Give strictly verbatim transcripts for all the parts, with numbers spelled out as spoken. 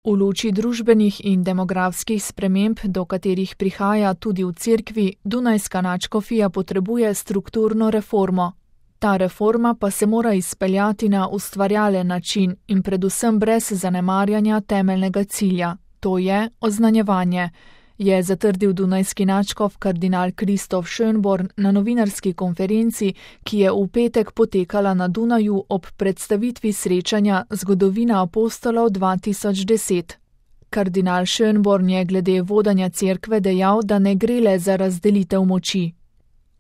V luči družbenih in demografskih sprememb, do katerih prihaja tudi v cerkvi, Dunajska nadškofija potrebuje strukturno reformo. Ta reforma pa se mora izpeljati na ustvarjalen način in predvsem brez zanemarjanja temeljnega cilja, to je oznanjevanje, je zatrdil dunajski nadškof kardinal Kristof Schönborn na novinarski konferenci, ki je v petek potekala na Dunaju ob predstavitvi srečanja Zgodovina apostolov dva tisoč deset. Kardinal Schönborn je glede vodanja cerkve dejal, da ne gre le za razdelitev moči.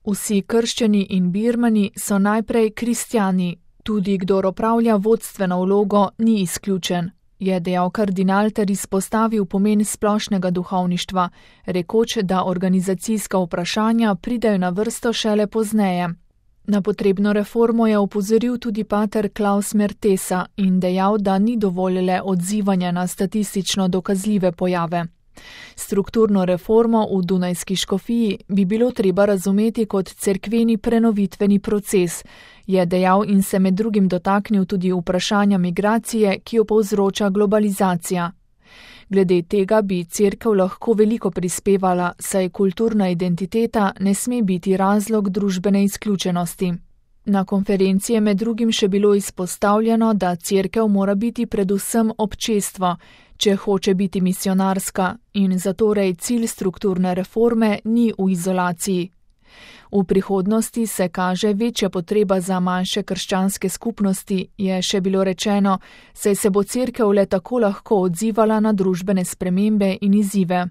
Vsi krščani in birmani so najprej kristjani, tudi kdor opravlja vodstveno vlogo, ni izključen, je dejal kardinal ter izpostavil pomen splošnega duhovništva, rekoč, da organizacijska vprašanja pridejo na vrsto šele pozneje. Na potrebno reformo je opozoril tudi pater Klaus Mertesa in dejal, da ni dovolj le odzivanja na statistično dokazljive pojave. Strukturno reformo v Dunajski škofiji bi bilo treba razumeti kot cerkveni prenovitveni proces, je dejal in se med drugim dotaknil tudi vprašanja migracije, ki jo povzroča globalizacija. Glede tega bi cerkev lahko veliko prispevala, saj kulturna identiteta ne sme biti razlog družbene izključenosti. Na konferenci je med drugim še bilo izpostavljeno, da cerkev mora biti predvsem občestvo, če hoče biti misionarska, in zatorej cilj strukturne reforme ni v izolaciji. V prihodnosti se kaže večja potreba za manjše krščanske skupnosti, je še bilo rečeno, saj se bo cerkev le tako lahko odzivala na družbene spremembe in izzive.